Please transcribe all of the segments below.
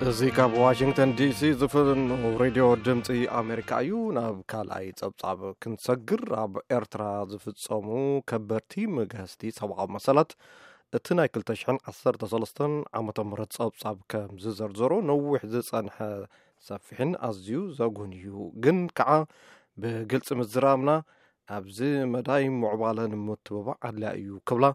እዚ ካብ ዋሽንግተን ዲሲ ዝፍኖ ሬድዮ ድምፂ ኣሜሪካ እዩ። ናብ ካልኣይ ጸብጻብ ክንሰግር፣ ኣብ ኤርትራ ዝፍጸሙ ከበድቲ መግሃስቲ ሰብኣዊ መሰላት፣ እቲ ናይ ክልተ ሽሕን ዓሰርተ ሰለስተን ዓመተ ምህረት ጸብጻብ ከም ዝዘርዘሮ፣ ነዊሕ ዝጸንሐ፣ ሰፊሕን ኣዝዩ ዘጉን እዩ፣ ግን ከዓ ብግልፂ ምዝራብና ኣብዚ መዳይ ምዕባለ ንምትብባዕ ኣድላዪ እዩ ክብላ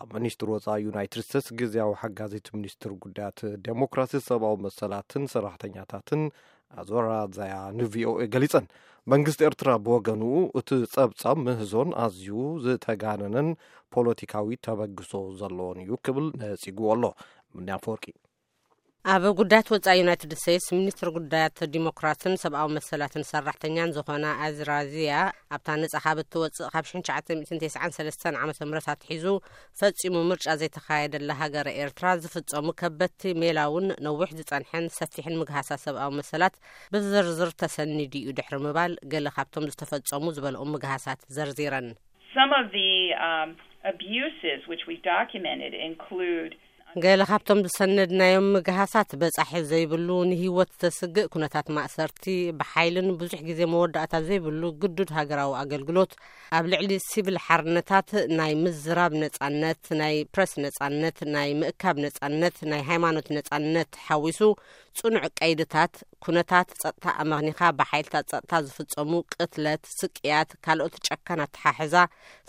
ኣብ ሚኒስትር ወፃኢ ዩናይትድ ስቴትስ ግዜያዊ ሓጋዚት ሚኒስትር ጉዳያት ዴሞክራሲ፣ ሰብኣዊ መሰላትን ሰራሕተኛታትን ኣዞራ ዛያ ንቪኦኤ ገሊፀን። መንግስቲ ኤርትራ ብወገኑ፣ እቲ ጸብጻብ ምህዞን ኣዝዩ ዝተጋነነን ፖለቲካዊ ተበግሶ ዘለዎን እዩ ክብል ነጺግዎ ኣሎ። ምንያ ኣፈወርቂ። ኣብ ጉዳያት ወጻኢ ዩናይትድ ስቴትስ ሚኒስትር ጉዳያት ዲሞክራስን ሰብኣዊ መሰላትን ሰራሕተኛን ዝኾና ኣዝራዚያ፣ ኣብታ ነጻ ካብ እትወጽእ ካብ ሽሕን ትሽዓተ ሚእትን ተስዓን ሰለስተን ዓመተ ምህረት ኣትሒዙ ፈጺሙ ምርጫ ዘይተኻየደላ ሃገረ ኤርትራ ዝፍጸሙ ከበድቲ ሜላውን ነዊሕ ዝጸንሐን ሰፊሕን ምግሃሳ ሰብኣዊ መሰላት ብዝርዝር ተሰኒዱ እዩ ድሕሪ ምባል፣ ገለ ካብቶም ዝተፈጸሙ ዝበልኦም ምግሃሳት ዘርዚረን። Some of the um, abuses which we documented include ገለ ካብቶም ዝሰነድናዮም ምግሃሳት በጻሒ ዘይብሉ፣ ንህይወት ዘስግእ ኩነታት ማእሰርቲ፣ ብሓይልን ብዙሕ ግዜ መወዳእታ ዘይብሉ ግዱድ ሃገራዊ ኣገልግሎት፣ ኣብ ልዕሊ ሲቪል ሓርነታት፣ ናይ ምዝራብ ነጻነት፣ ናይ ፕረስ ነጻነት፣ ናይ ምእካብ ነጻነት፣ ናይ ሃይማኖት ነጻነት ሓዊሱ ጽኑዕ ቀይድታት፣ ኩነታት ጸጥታ ኣመኽኒኻ ብሓይልታት ጸጥታ ዝፍጸሙ ቅትለት፣ ስቅያት፣ ካልኦት ጨካን ኣተሓሕዛ፣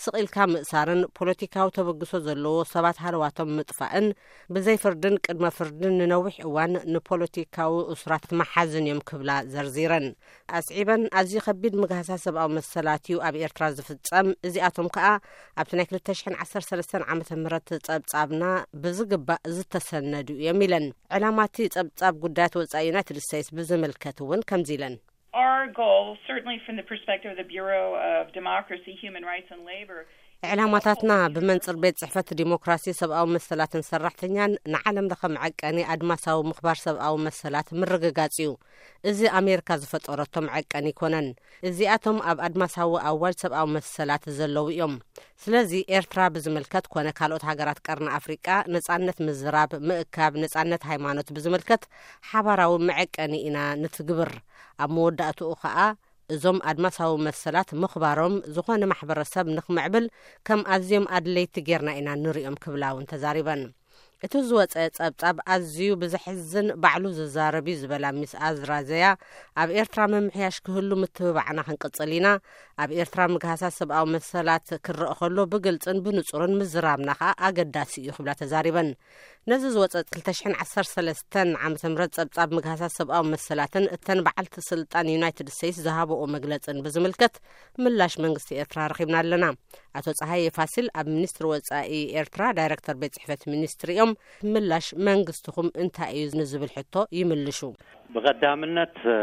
ስቕ ኢልካ ምእሳርን ፖለቲካዊ ተበግሶ ዘለዎ ሰባት ሃለዋቶም ምጥፋእን ብዘይ ፍርድን ቅድመ ፍርድን ንነዊሕ እዋን ንፖለቲካዊ እሱራት መሓዝን እዮም ክብላ ዘርዚረን። ኣስዒበን፣ ኣዝዩ ከቢድ ምግሃሳ ሰብኣዊ መሰላት እዩ ኣብ ኤርትራ ዝፍጸም። እዚኣቶም ከኣ ኣብቲ ናይ ክልተ ሽሕን ዓሰርተ ሰለስተን ዓመተ ምህረት ጸብጻብና ብዝግባእ ዝተሰነዱ እዮም ኢለን። ዕላማ እቲ ጸብጻብ ጉዳያት ወጻኢ ዩናይትድ ስቴትስ ብዝምልከት እውን ከምዚ ኢለን። Our goal, certainly from the perspective of the Bureau of Democracy, Human Rights and Labor, ዕላማታትና ብመንጽር ቤት ጽሕፈት ዲሞክራሲ፣ ሰብኣዊ መሰላትን ሰራሕተኛን ንዓለም ለኸ መዐቀኒ ኣድማሳዊ ምኽባር ሰብኣዊ መሰላት ምርግጋጽ እዩ። እዚ ኣሜሪካ ዝፈጠረቶ መዐቀኒ ኣይኮነን። እዚኣቶም ኣብ ኣድማሳዊ ኣዋጅ ሰብኣዊ መሰላት ዘለዉ እዮም። ስለዚ ኤርትራ ብዝምልከት ኮነ ካልኦት ሃገራት ቀርኒ ኣፍሪቃ ነጻነት ምዝራብ፣ ምእካብ፣ ነጻነት ሃይማኖት ብዝምልከት ሓባራዊ መዐቀኒ ኢና ንትግብር። ኣብ መወዳእትኡ ኸኣ እዞም ኣድማሳዊ መሰላት ምኽባሮም ዝኾነ ማሕበረሰብ ንኽምዕብል ከም ኣዝዮም ኣድለይቲ ጌርና ኢና ንሪኦም ክብላ እውን ተዛሪበን። እቲ ዝወጸ ጸብጻብ ኣዝዩ ብዘሕዝን ባዕሉ ዝዛረብ እዩ ዝበላ ሚስ ኣዝራዘያ፣ ኣብ ኤርትራ ምምሕያሽ ክህሉ ምትብባዕና ክንቅጽል ኢና። ኣብ ኤርትራ ምግሃሳት ሰብኣዊ መሰላት ክረአ ከሎ ብግልጽን ብንጹርን ምዝራብና ከኣ ኣገዳሲ እዩ ክብላ ተዛሪበን። ነዚ ዝወጸ ክልተ ሽሕን ዓሰርተ ሰለስተን ዓመተ ምህረት ጸብጻብ ምግሃሳት ሰብኣዊ መሰላትን እተን በዓልቲ ስልጣን ዩናይትድ ስቴትስ ዝሃበኦ መግለጽን ብዝምልከት ምላሽ መንግስቲ ኤርትራ ረኺብና ኣለና። ኣቶ ጸሃየ ፋሲል ኣብ ሚኒስትሪ ወጻኢ ኤርትራ ዳይረክተር ቤት ጽሕፈት ሚኒስትሪ እዮም። ምላሽ መንግስትኹም እንታይ እዩ ንዝብል ሕቶ ይምልሹ። ብቐዳምነት፣ እ፣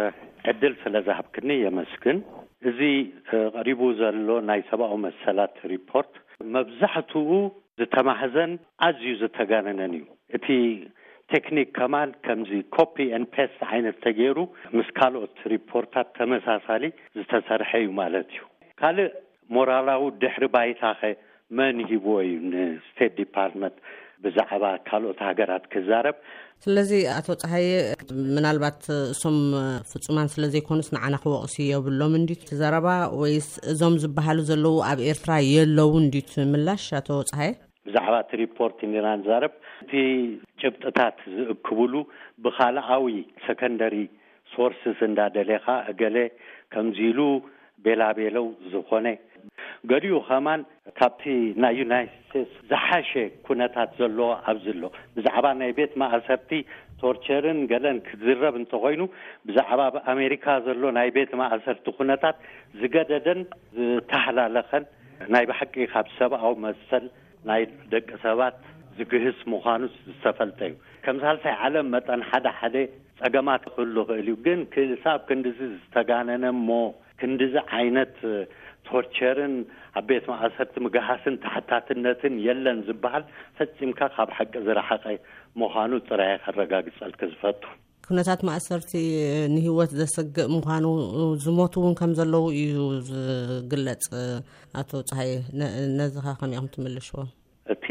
ዕድል ስለ ዝሃብክኒ የመስግን። እዚ፣ እ፣ ቀሪቡ ዘሎ ናይ ሰብኣዊ መሰላት ሪፖርት መብዛሕትኡ ዝተማህዘን ኣዝዩ ዝተጋነነን እዩ። እቲ ቴክኒክ ከማን ከምዚ ኮፒ ኤንድ ፔስት ዓይነት ተገይሩ ምስ ካልኦት ሪፖርታት ተመሳሳሊ ዝተሰርሐ እዩ ማለት እዩ። ካልእ ሞራላዊ ድሕሪ ባይታኸ መን ሂብዎ እዩ ንስቴት ዲፓርትመንት ብዛዕባ ካልኦት ሃገራት ክዛረብ? ስለዚ ኣቶ ጸሃየ፣ ምናልባት እሶም ፍጹማን ስለ ዘይኮኑስ ንዓና ክወቕሱ የብሎም እንዲ እቲ ዘረባ፣ ወይስ እዞም ዝበሃሉ ዘለዉ ኣብ ኤርትራ የለዉ እንዲ እቲ ምላሽ ኣቶ ጸሃየ? ብዛዕባ እቲ ሪፖርት ኢና ንዛረብ። እቲ ጭብጥታት ዝእክብሉ ብኻልኣዊ ሰከንደሪ ሶርስስ እንዳደሌኻ እገለ ከምዚ ኢሉ ቤላቤለው ዝኾነ፣ ገሊኡ ከማን ካብቲ ናይ ዩናይትድ ስቴትስ ዝሓሸ ኩነታት ዘለዎ ኣብዚ ኣሎ። ብዛዕባ ናይ ቤት ማእሰርቲ ቶርቸርን ገለን ክዝረብ እንተኾይኑ፣ ብዛዕባ ኣብ ኣሜሪካ ዘሎ ናይ ቤት ማእሰርቲ ኩነታት ዝገደደን ዝተሃላለኸን፣ ናይ ብሓቂ ካብ ሰብኣዊ መሰል ናይ ደቂ ሰባት ዝግህስ ምዃኑስ ዝተፈልጠ እዩ። ከም ሳልሳይ ዓለም መጠን ሓደ ሓደ ጸገማት ክህሉ ይኽእል እዩ። ግን ክሳብ ክንድዚ ዝተጋነነ እሞ ክንድዚ ዓይነት ቶርቸርን ኣብ ቤት ማእሰርቲ ምግሃስን ተሓታትነትን የለን ዝበሃል ፈጺምካ ካብ ሓቂ ዝረሓቐ ምዃኑ ጥራይ ከረጋግጸልክ ዝፈቱ። ኩነታት ማእሰርቲ ንህይወት ዘሰግእ ምዃኑ፣ ዝሞቱ እውን ከም ዘለዉ እዩ ዝግለጽ። ኣቶ ጸሃየ፣ ነ-፣ ነዚ ኸ ከመይ ኢኹም ትምልሽዎ? እቲ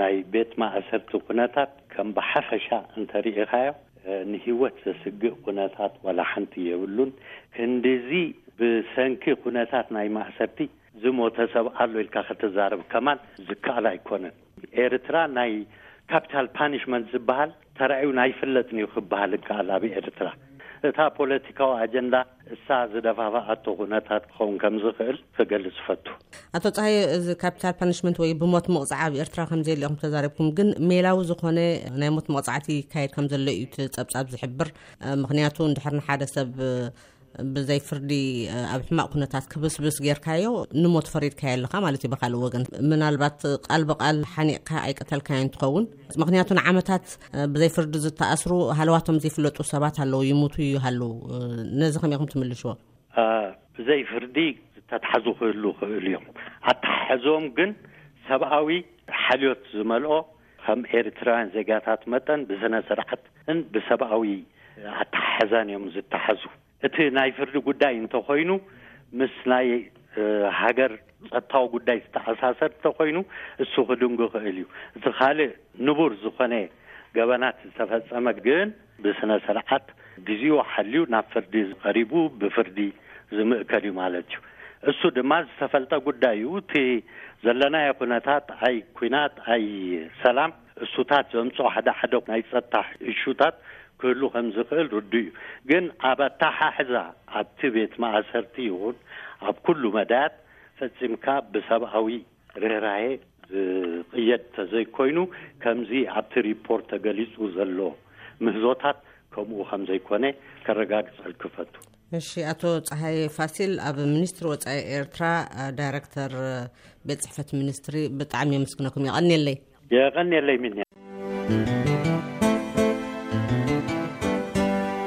ናይ ቤት ማእሰርቲ ኩነታት ከም ብሓፈሻ እንተሪኢኻዮ፣ እ፣ ንህይወት ዘስግእ ኩነታት ዋላ ሓንቲ የብሉን። ክንድዚ ብሰንኪ ኩነታት ናይ ማእሰርቲ ዝሞተ ሰብ ኣሎ ኢልካ ከተዛረብ ከማን ዝከኣል ኣይኮነን። ኤርትራ ናይ ካፒታል ፓኒሽመንት ዝበሃል ተራእዩ ኣይፍለጥን እዩ ክበሃል ይከኣል ኣብ ኤርትራ። እታ ፖለቲካዊ ኣጀንዳ እሳ ዝደፋፍኣቶ ኩነታት ክኸውን ከም ዝኽእል ክገልጽ ፈቱ። ኣቶ ፀሃይ፣ እዚ ካፒታል ፓኒሽመንት ወይ ብሞት ምቕፃዕ ኣብ ኤርትራ ከም ዘየለ ኢኹም ተዛሪብኩም፣ ግን ሜላዊ ዝኾነ ናይ ሞት መቕፃዕቲ ይካየድ ከም ዘሎ እዩ እቲ ፀብፃብ ዝሕብር። እ፣ ምኽንያቱ እንድሕር ንሓደ ሰብ፣ እ፣ ብዘይ ፍርዲ፣ እ፣ ኣብ ሕማቕ ኩነታት ክብስብስ ጌርካዮ፣ ንሞት ፈሪድካዮ ኣለኻ ማለት እዩ። ብኻልእ ወገን ምናልባት ቃል ብቃል ሓኒቕካ ኣይቀተልካዮን ትኸውን። ምኽንያቱ ንዓመታት፣ እ፣ ብዘይ ፍርዲ ዝተኣስሩ ሃለዋቶም ዘይፍለጡ ሰባት ኣለዉ፣ ይሙቱ ይሃሉ። እ፣ ነዚ ከመይ ኢኹም ትምልሽዎ? እ፣ ብዘይ ፍርዲ ዝተትሓዙ ክህሉ ክህሉ እዮም። ኣተሓሕዞም ግን ሰብኣዊ ሓልዮት ዝመልኦ፣ ከም ኤርትራውያን ዜጋታት መጠን ብስነ ስርዓትን ብሰብኣዊ ኣተሓሕዛን እዮም ዝተሓዙ። እቲ ናይ ፍርዲ ጉዳይ እንተኾይኑ፣ ምስ ናይ፣ እ፣ ሃገር ጸጥታዊ ጉዳይ ዝተኣሳሰር እንተኾይኑ፣ እሱ ክድንጉ ክእል እዩ። እቲ ካልእ ንቡር ዝኾነ ገበናት ዝተፈጸመ ግን ብስነ ስርዓት ግዜኡ ሓልዩ ናብ ፍርዲ ቀሪቡ ብፍርዲ ዝምእከል እዩ ማለት እዩ። እሱ ድማ ዝተፈልጠ ጉዳይ እዩ። እቲ ዘለናዮ ኩነታት ኣይ ኩናት ኣይ ሰላም እሱታት ዘምፅኦ ሓደ ሓደ ናይ ጸጥታ እሹታት ክህሉ ከም ዝኽእል ርዱእ እዩ። ግን ኣብ ኣተሓሕዛ ኣብቲ ቤት ማእሰርቲ ይኹን ኣብ ኩሉ መዳያት ፈጺምካ ብሰብኣዊ ርህራሄ ዝቕየድ ተዘይኮይኑ፣ ከምዚ ኣብቲ ሪፖርት ተገሊጹ ዘሎ ምህዞታት ከምኡ ከም ዘይኮነ ከረጋግጸልክ እፈቱ። እሺ፣ ኣቶ ፀሃይ ፋሲል፣ ኣብ ሚኒስትሪ ወፃኢ ኤርትራ፣ እ፣ ዳይረክተር፣ እ፣ ቤት ጽሕፈት ሚኒስትሪ፣ ብጣዕሚ የመስግነኩም። የቐንየለይ። የቐንየለይ ሚንያ።